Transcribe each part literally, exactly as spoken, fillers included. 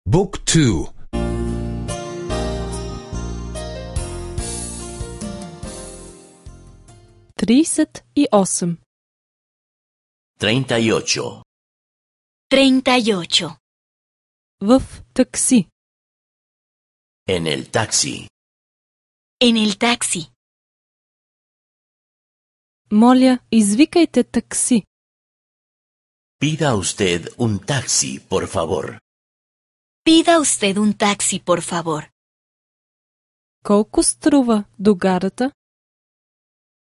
Book two. Тридесет и осем. Treinta y ocho. Treinta y ocho. В такси. En el taxi. En el taxi. Моля, извикайте такси. Pida usted un taxi, por favor. Pida usted un taxi, por favor. Колко струва до гарата?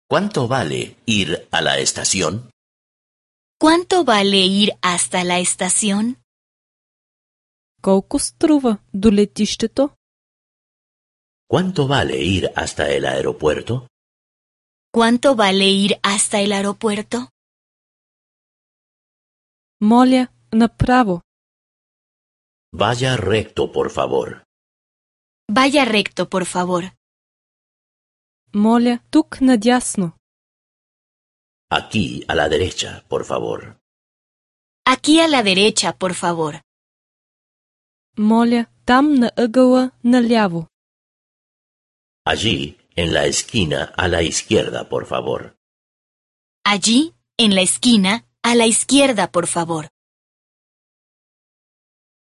¿Cuánto vale ir a la estación? ¿Cuánto vale ir hasta la estación? Колко струва до летището? ¿Cuánto vale ir hasta el aeropuerto? ¿Cuánto vale ir hasta el aeropuerto? Моля, направо. Vaya recto, por favor. Vaya recto, por favor. Моля, тук надясно. Aquí, a la derecha, por favor. Aquí a la derecha, por favor. Моля, там на ъгъла наляво. Allí, en la esquina, a la izquierda, por favor. Allí, en la esquina, a la izquierda, por favor.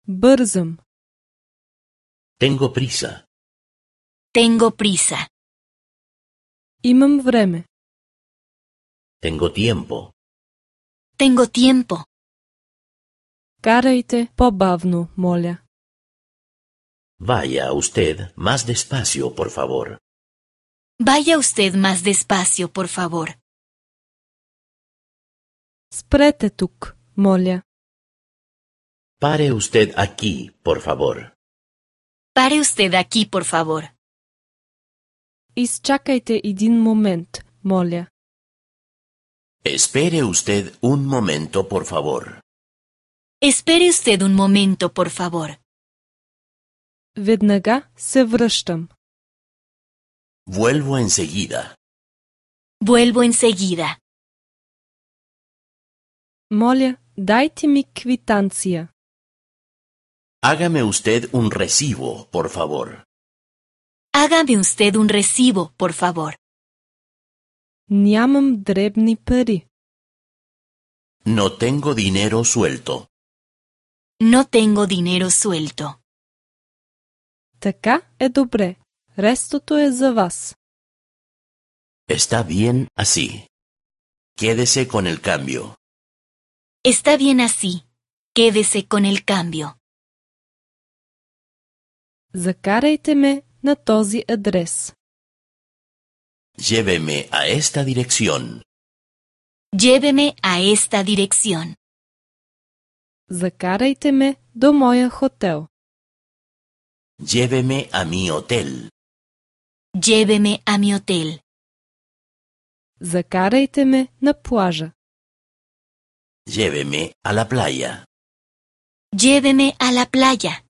Бързам. Tengo prisa. Tengo prisa. Имам време. Tengo tiempo. Tengo tiempo. Карайте по-бавно, моля. Vaya usted más despacio, por favor. Vaya usted más despacio, por favor. Спрете тук, моля. Pare usted aquí, por favor. Pare usted aquí, por favor. Изчакайте един момент, моля. Espere usted un momento, por favor. Espere usted un momento, por favor. Веднага се връщам. Vuelvo enseguida. Vuelvo enseguida. Моля, дайте ми квитанция. Hágame usted un recibo, por favor. Hágame usted un recibo, por favor. Нямам дребни пари. No tengo dinero suelto. No tengo dinero suelto. Така е добре. Рестото е за вас. Está bien así. Quédese con el cambio. Está bien así. Quédese con el cambio. Закарайте ме на този адрес. Lléveme a esta dirección. Lléveme a esta dirección. Закарайте ме до моя хотел. Lléveme a mi hotel. Lléveme a mi hotel. Закарайте ме на плажа. Lléveme a la playa. Lléveme a la playa.